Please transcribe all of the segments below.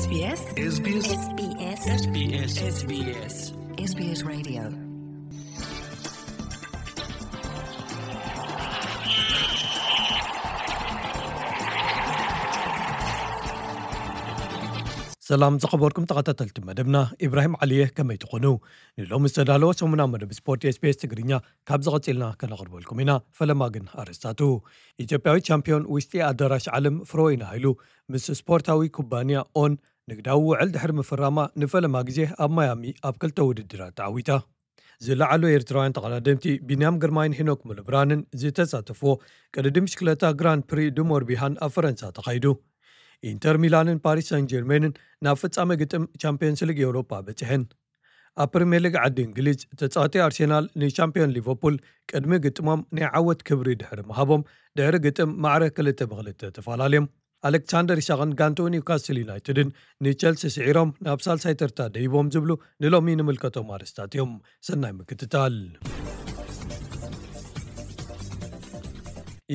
SBS SBS SBS SBS SBS Radio. ሰላም ዝኸበርኩም ተኸታተልቲ መደብና፣ ኢብራሂም ዓሊየ፣ ከመይ ትኾኑ? ንሎሚ ዝተዳለወ ሰሙና መደብ ስፖርት SBS ትግርኛ ካብ ዝቐጽልና ከነቕርበልኩም ኢና። ፈለማ ግን ኣርእስታቱ። ኢትዮጵያዊት ቻምፒዮን ውሽጢ ኣዳራሽ ዓለም ፍሮይን ሃይሉ ምስ ስፖርታዊ ኩባንያ ኦን ንግዳዊ ውዕል ድሕሪ ምፍራማ ንፈለማ ግዜ ኣብ ማያሚ ኣብ ክልተ ውድድራት ተዓዊታ። ዝለዓሉ ኤርትራውያን ተቐዳደምቲ ቢንያም ግርማይን ሄኖክ ሙሉብርሃንን ዝተሳተፍዎ ቅድድም ብሽክለታ ግራንድ ፕሪ ዱሞርቢሃን ኣብ ፈረንሳ ተኻይዱ። ኢንተር ሚላንን ፓሪስ ሳን ጀርሜንን ናብ ፍጻመ ግጥም ቻምፒዮንስ ሊግ ኤውሮጳ በጺሐን። ኣብ ፕሪምየር ሊግ ዓዲ እንግሊዝ ተጻወቲ ኣርሴናል ንቻምፒዮን ሊቨርፑል ቅድሚ ግጥሞም ናይ ዓወት ክብሪ ድሕሪ ምሃቦም ድሕሪ ግጥም ማዕረ ክልተ ብክልተ ተፈላለዮም። ኣሌክሳንደር ኢሳቕን ጋንትኡ ኒውካስል ዩናይትድን ንቸልሲ ስዒሮም ናብ ሳልሳይ ተርታ ደይቦም ዝብሉ ንሎሚ ንምልከቶም ኣርእስታት እዮም። ሰናይ ምክትታል።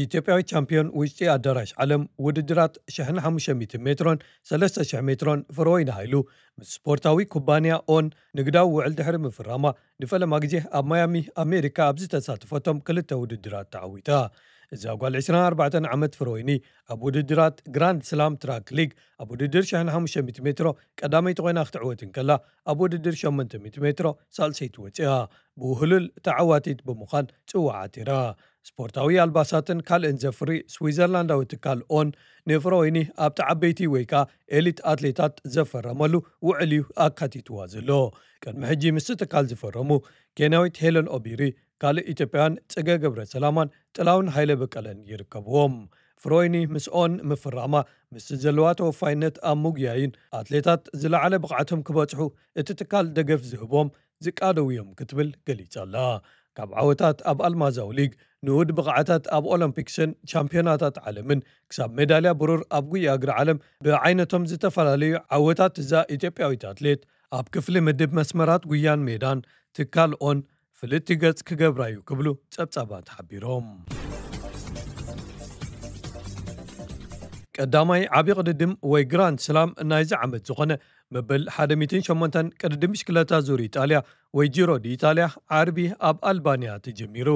ኢትዮጵያዊት ቻምፒዮን ውሽጢ ኣዳራሽ ዓለም ውድድራት ሽሕን ሓሙሽተ ሚእትን ሜትሮን ሰለስተ ሽሕ ሜትሮን ፍሮይን ሃይሉ ምስ ስፖርታዊ ኩባንያ ኦን ንግዳዊ ውዕል ድሕሪ ምፍራማ ንፈለማ ግዜ ኣብ ማያሚ ኣሜሪካ ኣብ ዝተሳተፈቶም ክልተ ውድድራት ተዓዊታ። እዛ ጓል ዕስራን ኣርባዕተን ዓመት ፍሮይኒ ኣብ ውድድራት ግራንድ ስላም ትራክ ሊግ ኣብ ውድድር ሽሕን ሓሙሽተ ሚእቲ ሜትሮ ቀዳመይቲ ኮይና ክትዕወት እንከላ፣ ኣብ ውድድር ሸሞንተ ሚእቲ ሜትሮ ሳልሰይቲ ወፂኣ ብውህሉል ተዓዋቲት ብምዃን ፅዋዕ ዓቲራ። ስፖርታዊ ኣልባሳትን ካልእን ዘፍሪ ስዊዘርላንዳዊ ትካል ኦን ንፍሮይኒ ኣብቲ ዓበይቲ ወይ ከኣ ኤሊት ኣትሌታት ዘፈረመሉ ውዕል እዩ ኣካቲትዋ ዘሎ። ቅድሚ ሕጂ ምስቲ ትካል ዝፈረሙ ኬንያዊት ሄለን ኦቢሪ፣ ካልእ ኢትዮጵያውያን ጽገ ገብረ ሰላማን ጥላውን ሃይለ በቀለን ይርከብዎም። ፍሮይኒ ምስ ኦን ምፍራማ ምስቲ ዘለዋ ተወፋይነት ኣብ ምጉያይን ኣትሌታት ዝለዓለ ብቕዓቶም ክበጽሑ እቲ ትካል ደገፍ ዝህቦም ዝቃደው እዮም ክትብል ገሊጻ ኣላ። ካብ ዓወታት ኣብ ኣልማዛዊ ሊግ፣ ንኡድ ብቕዓታት ኣብ ኦሎምፒክስን ቻምፒዮናታት ዓለምን ክሳብ ሜዳልያ ብሩር ኣብ ጉያ እግሪ ዓለም ብዓይነቶም ዝተፈላለዩ ዓወታት እዛ ኢትዮጵያዊት ኣትሌት ኣብ ክፍሊ ምድብ መስመራት ጉያን ሜዳን ትካል ኦን ፍልጥቲ ገጽ ክገብራ እዩ ክብሉ ጸብጻባት ሓቢሮም። ቀዳማይ ዓቢ ቅድድም ወይ ግራንድ ስላም ናይዚ ዓመት ዝኾነ መበል ሓደ ሚእትን ሸሞንተን ቅድድም ብሽክለታ ዙር ኢጣልያ ወይ ጂሮ ዲ ኢጣልያ ዓርቢ ኣብ ኣልባንያ ተጀሚሩ።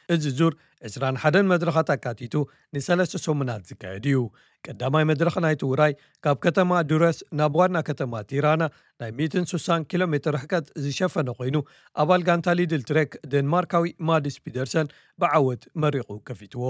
እዚ ዙር ዕስራን ሓደን መድረኻት ኣካቲቱ ንሰለስተ ሰሙናት ዝካየድ እዩ። ቀዳማይ መድረኽ ናይቲ ውራይ ካብ ከተማ ዱረስ ናብ ዋና ከተማ ቲራና ናይ ሚእትን ስሳን ኪሎ ሜትር ርሕቀት ዝሸፈነ ኮይኑ፣ ኣባል ጋንታ ሊድል ትሬክ ደንማርካዊ ማድስ ፒደርሰን ብዓወት መሪቑ ከፊትዎ።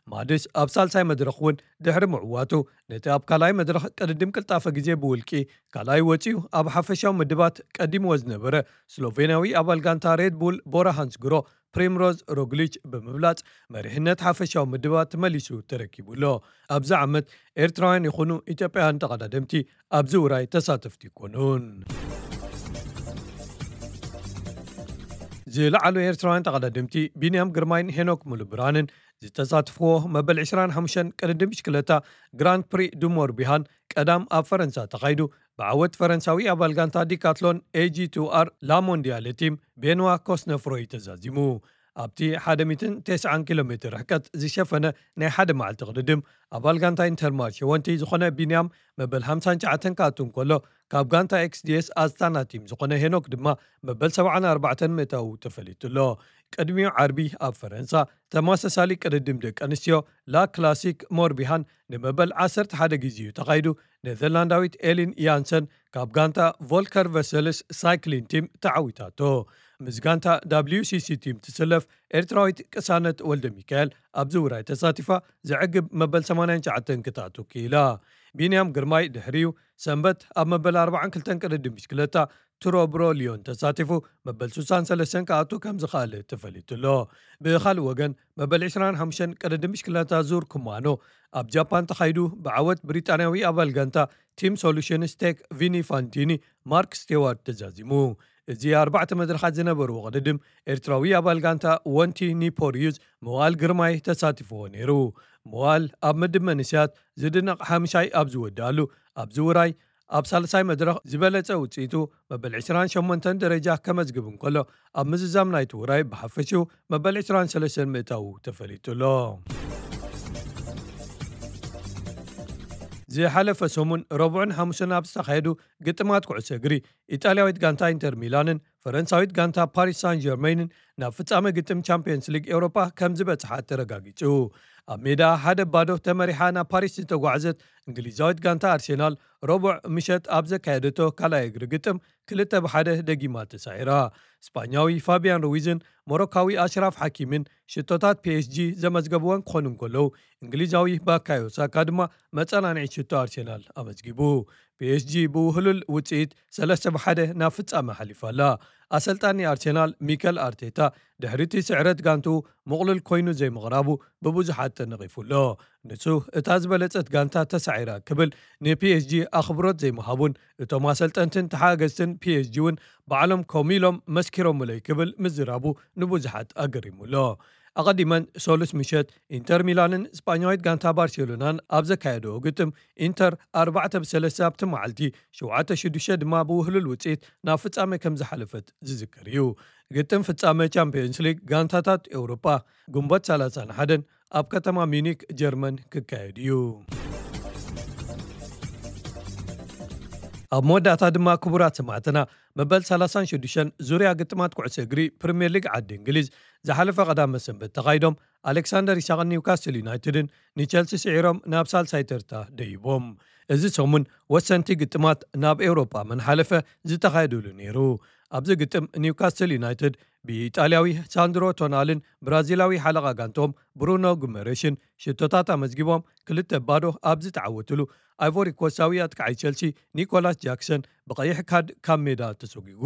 ማድስ ኣብ ሳልሳይ መድረኽ እውን ድሕሪ ምዕዋቱ፣ ነቲ ኣብ ካልኣይ መድረኽ ቅድድም ቅልጣፈ ግዜ ብውልቂ ካልኣይ ወጺኡ፣ ኣብ ሓፈሻዊ ምድባት ቀዲምዎ ዝነበረ ስሎቬንያዊ ኣባል ጋንታ ሬድ ቡል ቦራ ሃንስግሮ ፕሪምሮዝ ሮግሊች ብምብላጽ መሪሕነት ሓፈሻዊ ምድባት መሊሱ ተረኪቡ ኣሎ። ኣብዚ ዓመት ኤርትራውያን ይኹኑ ኢትዮጵያውያን ተቐዳደምቲ ኣብዚ ውራይ ተሳተፍቲ ኣይኮኑን። ዝለዓሉ ኤርትራውያን ተቐዳደምቲ ቢንያም ግርማይን ሄኖክ ሙሉብርሃንን ዝተሳትፍዎ መበል ዕስራን ሓሙሽተን ቅድድም ብሽክለታ ግራንድ ፕሪ ዱሞርቢሃን ቀዳም ኣብ ፈረንሳ ተኻይዱ ብዓወት ፈረንሳዊ ኣባል ጋንታ ዲካትሎን ኤጂ ቱ ኣር ላሞንዲያለ ቲም ቤንዋ ኮስነፍሮይ ተዛዚሙ። ኣብቲ ሓደ ሚእትን ተስዓን ኪሎ ሜትር ርሕቀት ዝሸፈነ ናይ ሓደ መዓልቲ ቅድድም ኣባል ጋንታ ኢንተርማርሽ ወንቲ ዝኾነ ቢንያም መበል ሓምሳን ትሽዓተን ክኣቱ እንከሎ፣ ካብ ጋንታ ኤክስዲኤስ ኣስታና ቲም ዝኾነ ሄኖክ ድማ መበል ሰብዓን ኣርባዕተን ምእታዉ ተፈሊጡ ኣሎ። ቅድሚኡ ዓርቢ ኣብ ፈረንሳ ተመሳሳሊ ቅድድም ደቂ ኣንስትዮ ላ ክላሲክ ሞርቢሃን ንመበል ዓሰርተ ሓደ ግዜ እዩ ተኻይዱ። ኔዘርላንዳዊት ኤሊን ያንሰን ካብ ጋንታ ቮልከር ቨሰልስ ሳይክሊን ቲም ተዓዊታቶ። ምስ ጋንታ ደብሊው ሲ ሲ ቲም ትስለፍ ኤርትራዊት ቅሳነት ወልደ ሚካኤል ኣብዚ ውራይ ተሳቲፋ ዘዕግብ መበል ሰማንያን ትሽዓተን ክትኣቱ ክኢላ። ቢንያም ግርማይ ድሕሪኡ ሰንበት ኣብ መበል ኣርባዓን ክልተን ቅድድም ብሽክለታ ቱሮ ብሮ ሊዮን ተሳቲፉ መበል ስሳን ሰለስተን ክኣቱ ከም ዝኸኣለ ተፈሊጡ ኣሎ። ብኻልእ ወገን መበል ዕስራን ሓሙሽተን ቅድድም ብሽክለታ ዙር ኩማኖ ኣብ ጃፓን ተኻይዱ ብዓወት ብሪጣንያዊ ኣባል ጋንታ ቲም ሶሉሽንስ ቴክ ቪኒ ፋንቲኒ ማርክ ስቴዋርት ተዛዚሙ። እዚ ኣርባዕተ መድረኻት ዝነበርዎ ቅድድም ኤርትራዊ ኣባል ጋንታ ወንቲ ኒፖርዩዝ መዋል ግርማይ ተሳቲፍዎ ነይሩ። መዋል ኣብ ምድብ መንእሰያት ዝድነቕ ሓምሻይ ኣብ ዝወድኣሉ ኣብዚ ውራይ ኣብ ሳልሳይ መድረኽ ዝበለጸ ውጽኢቱ መበል ዕስራን ሸሞንተን ደረጃ ከመዝግብ እንከሎ፣ ኣብ ምዝዛም ናይቲ ውራይ ብሓፈሽኡ መበል ዕስራን ሰለስተን ምእታዉ ተፈሊጡ ኣሎ። ዝሓለፈ ሰሙን ረቡዕን ሓሙስን ኣብ ዝተኻየዱ ግጥማት ኩዕሶ እግሪ፣ ኢጣልያዊት ጋንታ ኢንተር ሚላንን ፈረንሳዊት ጋንታ ፓሪስ ሳን ጀርመይንን ናብ ፍጻመ ግጥም ቻምፒየንስ ሊግ ኤውሮፓ ከም ዝበጽሓ ተረጋጊጹ። ኣብ ሜዳ ሓደ ባዶ ተመሪሓ ናብ ፓሪስ ዝተጓዕዘት እንግሊዛዊት ጋንታ ኣርሴናል፣ ረቡዕ ምሸት ኣብ ዘካየደቶ ካልኣይ እግሪ ግጥም፣ ክልተ ብሓደ ደጊማ ተሳዒራ። ስጳኛዊ ፋቢያን ሩዊዝን ሞሮካዊ ኣሽራፍ ሓኪምን ሽቶታት ፒ ኤስ ጂ ዘመዝገብወን ክኾኑ እንከለዉ፣ እንግሊዛዊ ባካዮ ሳካ ድማ መጸናንዒ ሽቶ ኣርሴናል ኣመዝጊቡ። ፒ ኤስ ጂ ብውህሉል ውጽኢት ሰለስተ ብሓደ ናብ ፍጻመ ሓሊፋ ኣላ። ኣሰልጣኒ ኣርሴናል ሚከል ኣርቴታ፣ ድሕሪ እቲ ስዕረት ጋንትኡ ምቕሉል ኮይኑ ዘይምቕራቡ ብብዙሓት ተነቒፉ ኣሎ። ንሱ፣ እታ ዝበለጸት ጋንታ ተሳዒራ ክብል ንፒ ኤስ ጂ ኣኽብሮት ዘይምሃቡን እቶም ኣሰልጠንትን ተሓገዝትን ፒ ኤስ ጂ እውን ባዕሎም ከምኡ ኢሎም መስኪሮምለይ ክብል ምዝራቡ ንብዙሓት ኣገሪሙ ኣሎ። ኣቐዲመን ሰሉስ ምሸት ኢንተር ሚላንን ስጳኛዊት ጋንታ ባርሴሎናን ኣብ ዘካየደኦ ግጥም፣ ኢንተር ኣርባዕተ ብሰለስተ ኣብቲ መዓልቲ፣ ሸውዓተ ሽዱሽተ ድማ ብውህሉል ውጽኢት ናብ ፍጻመ ከም ዝሓለፈት ዝዝከር እዩ። ግጥም ፍጻመ ቻምፒዮንስ ሊግ ጋንታታት ኤውሮጳ ግንቦት ሰላሳን ሓደን ኣብ ከተማ ሚዩኒክ ጀርመን ክካየድ እዩ። ኣብ መወዳእታ ድማ ክቡራት ሰማዕትና፣ መበል ሰላሳን ሽዱሽተን ዙርያ ግጥማት ኩዕሶ እግሪ ፕሪምየር ሊግ ዓዲ እንግሊዝ ዝሓለፈ ቀዳመ ሰንበት ተኻይዶም፣ ኣሌክሳንደር ኢሳቕን ኒውካስትል ዩናይትድን ንቸልሲ ስዒሮም ናብ ሳልሳይ ተርታ ደይቦም። እዚ ሰሙን ወሰንቲ ግጥማት ናብ ኤውሮጳ መን ሓለፈ ዝተኻየዱሉ ነይሩ። ኣብዚ ግጥም ኒውካስትል ዩናይትድ ብኢጣልያዊ ሳንድሮ ቶናልን ብራዚላዊ ሓለቓ ጋንቶም ብሩኖ ጉመረሽን ሽቶታት ኣመዝጊቦም ክልተ ባዶ ኣብ ዝተዓወትሉ፣ ኣይቮሪ ኮስታዊ ኣጥቃዓይ ቸልሲ ኒኮላስ ጃክሰን ብቐይሕ ካርድ ካብ ሜዳ ተሰጒጉ።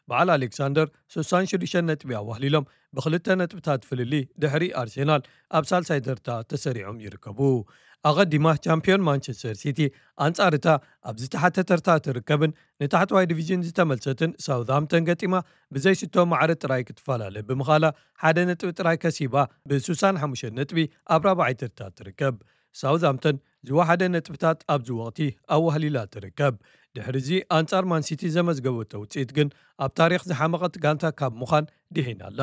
በዓል ኣሌክሳንደር ስሳን ሽዱሽተ ነጥቢ ኣዋህሊሎም ብክልተ ነጥብታት ፍልሊ ድሕሪ ኣርሴናል ኣብ ሳልሳይ ተርታ ተሰሪዖም ይርከቡ። ኣቐዲማ ቻምፒዮን ማንቸስተር ሲቲ ኣንጻር እታ ኣብ ዝተሓተ ተርታ ትርከብን ንታሕተዋይ ዲቪዥን ዝተመልሰትን ሳውዝሃምፕተን ገጢማ ብዘይሽቶ ማዕረ ጥራይ ክትፈላለ ብምኻላ ሓደ ነጥቢ ጥራይ ከሲባ ብስሳን ሓሙሽተ ነጥቢ ኣብ ራብዓይ ተርታ ትርከብ። ሳውዝሃምፕተን ዝወሓደ ነጥብታት ኣብዚ ወቕቲ ኣዋህሊላ ትርከብ። ድሕሪዚ ኣንጻር ማንሲቲ ዘመዝገበቶ ውጽኢት ግን ኣብ ታሪኽ ዝሓመቐት ጋንታ ካብ ምዃን ድሒና ኣላ።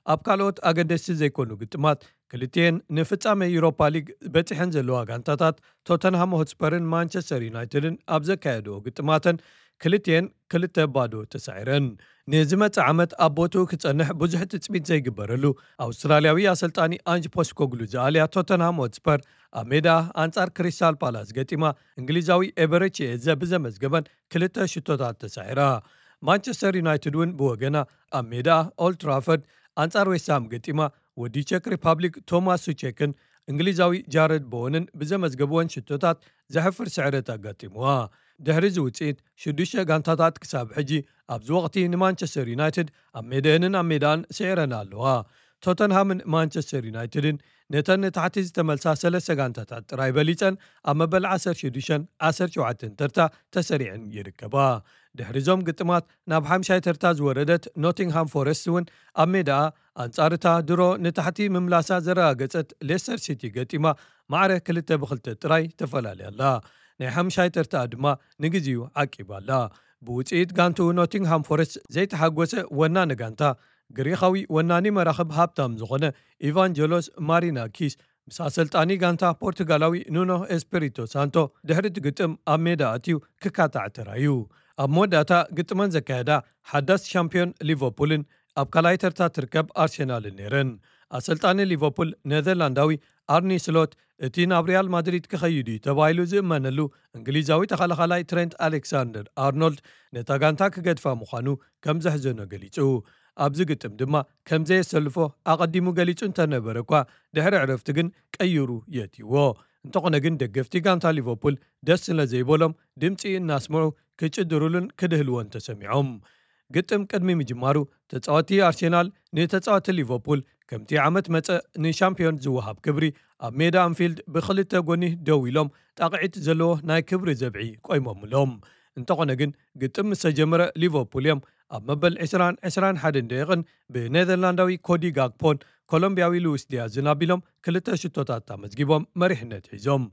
ኣብ ካልኦት ኣገደስቲ ዘይኮኑ ግጥማት ክልቲኤን ንፍጻመ ዩሮፓ ሊግ በጺሐን ዘለዋ ጋንታታት ቶተንሃም ሆትስፐርን ማንቸስተር ዩናይትድን ኣብ ዘካየድኦ ግጥማተን ክልቲኤን ክልተ ባዶ ተሳዒረን። ንዝመጽእ ዓመት ኣብ ቦትኡ ክጸንሕ ብዙሕ ትጽቢት ዘይግበረሉ ኣውስትራልያዊ ኣሰልጣኒ ኣንጅ ፖስኮግሉ ዝኣልያ ቶተንሃም ሆትስፐር ኣብ ሜዳ ኣንጻር ክሪስታል ፓላስ ገጢማ እንግሊዛዊ ኤበረቺ ኤዘ ብዘመዝገበን ክልተ ሽቶታት ተሳዒራ። ማንቸስተር ዩናይትድ እውን ብወገና ኣብ ሜዳ ኦልድ ትራፈርድ ኣንጻር ዌስትሃም ገጢማ ወዲ ቸክ ሪፓብሊክ ቶማስ ሱቼክን እንግሊዛዊ ጃረድ ቦወንን ብዘመዝገብወን ሽቶታት ዘሕፍር ስዕረት ኣጋጢምዋ። ድሕሪ እዚ ውጽኢት ሽዱሽተ ጋንታታት ክሳብ ሕጂ ኣብዚ ወቕቲ ንማንቸስተር ዩናይትድ ኣብ ሜዳኤንን ኣብ ሜዳን ስዒረን ኣለዋ። ቶተንሃምን ማንቸስተር ዩናይትድን ነተን ንታሕቲ ዝተመልሳ ሰለስተ ጋንታታት ጥራይ በሊጸን ኣብ መበል ዓሰርተ ሽዱሽተን ዓሰርተ ሸውዓተን ተርታ ተሰሪዐን ይርከባ። ድሕሪ እዞም ግጥማት ናብ ሓምሻይ ተርታ ዝወረደት ኖቲንግሃም ፎረስት እውን ኣብ ሜዳኣ ኣንጻር እታ ድሮ ንታሕቲ ምምላሳ ዘረጋገጸት ሌስተር ሲቲ ገጢማ ማዕረ ክልተ ብክልተ ጥራይ ተፈላልያ ኣላ። ናይ ሓምሻይ ተርታኣ ድማ ንግዜኡ ዓቂባ ኣላ። ብውጽኢት ጋንትኡ ኖቲንግሃም ፎረስት ዘይተሓጎሰ ወናኒ ጋንታ፣ ግሪኻዊ ወናኒ መራኽብ ሃብታም ዝኾነ ኢቫንጀሎስ ማሪናኪስ ምስ ኣሰልጣኒ ጋንታ ፖርቱጋላዊ ኑኖ ኤስፒሪቶ ሳንቶ ድሕሪ እቲ ግጥም ኣብ ሜዳ ኣትዩ ክካታዕ ተራዩ። ኣብ መወዳእታ ግጥመን ዘካየዳ ሓዳስ ሻምፒዮን ሊቨርፑልን ኣብ ካልኣይ ተርታ ትርከብ ኣርሴናልን ነይረን። ኣሰልጣኒ ሊቨርፑል ኔዘርላንዳዊ ኣርኒ ስሎት፣ እቲ ናብ ሪያል ማድሪድ ክኸይድ እዩ ተባሂሉ ዝእመነሉ እንግሊዛዊ ተኸላኻላይ ትሬንት ኣሌክሳንደር ኣርኖልድ ነታ ጋንታ ክገድፋ ምዃኑ ከም ዘሕዘኖ ገሊጹ። ኣብዚ ግጥም ድማ ከም ዘየሰልፎ ኣቐዲሙ ገሊጹ እንተነበረ እኳ፣ ድሕሪ ዕረፍቲ ግን ቀይሩ የእትይዎ። እንተኾነ ግን ደገፍቲ ጋንታ ሊቨርፑል ደስ ስለ ዘይበሎም ድምጺ እናስምዑ ክጭድሩሉን ክድህልዎን ተሰሚዖም። ግጥም ቅድሚ ምጅማሩ ተጻወቲ ኣርሴናል ንተጻወቲ ሊቨርፑል ከምቲ ዓመት መጸ ንሻምፒዮን ዝወሃብ ክብሪ ኣብ ሜዳ ኣንፊልድ ብኽልተ ጎኒ ደው ኢሎም ጣቕዒት ዘለዎ ናይ ክብሪ ዘብዒ ቆይሞምሎም። እንተኾነ ግን ግጥም ምስ ተጀመረ ሊቨርፑል እዮም ኣብ መበል ዕስራን ዕስራን ሓደን ደቂቕን ብኔዘርላንዳዊ ኮዲ ጋክፖን ኮሎምቢያዊ ሉዊስ ዲያዝን ኣቢሎም ክልተ ሽቶታት ኣመዝጊቦም መሪሕነት ሒዞም።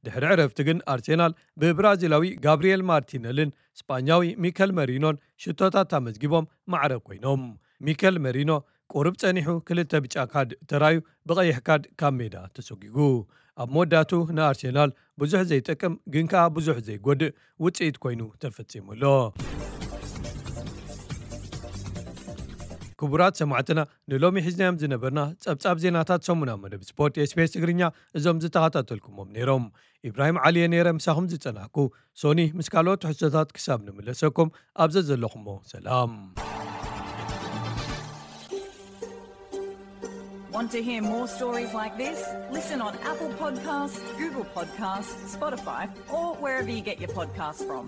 ድሕሪ ዕረፍቲ ግን ኣርሴናል ብብራዚላዊ ጋብሪኤል ማርቲነልን ስጳኛዊ ሚከል መሪኖን ሽቶታት ኣመዝጊቦም ማዕረ ኮይኖም። ሚከል መሪኖ ቁሩብ ጸኒሑ ክልተ ብጫ ካርድ ተራዩ ብቐይሕ ካርድ ካብ ሜዳ ተሰጒጉ። ኣብ መወዳእቱ ንኣርሴናል ብዙሕ ዘይጠቅም ግን ከኣ ብዙሕ ዘይጎድእ ውጽኢት ኮይኑ ተፈጺሙ ኣሎ። ክቡራት ሰማዕትና፣ ንሎሚ ሒዝናዮም ዝነበርና ጸብጻብ ዜናታት ሰሙናዊ መደብ ስፖርት ኤስቢኤስ ትግርኛ እዞም ዝተኸታተልኩሞም ነይሮም። ኢብራሂም ዓሊ እየ ነይረ ምሳኹም ዝጸናሕኩ። ሶኒ ምስ ካልኦት ትሕዝቶታት ክሳብ ንምለሰኩም ኣብ ዘዘለኹሞ ሰላም። Want to hear more stories like this? Listen on Apple Podcasts, Google Podcasts, Spotify, or wherever you get your podcasts from.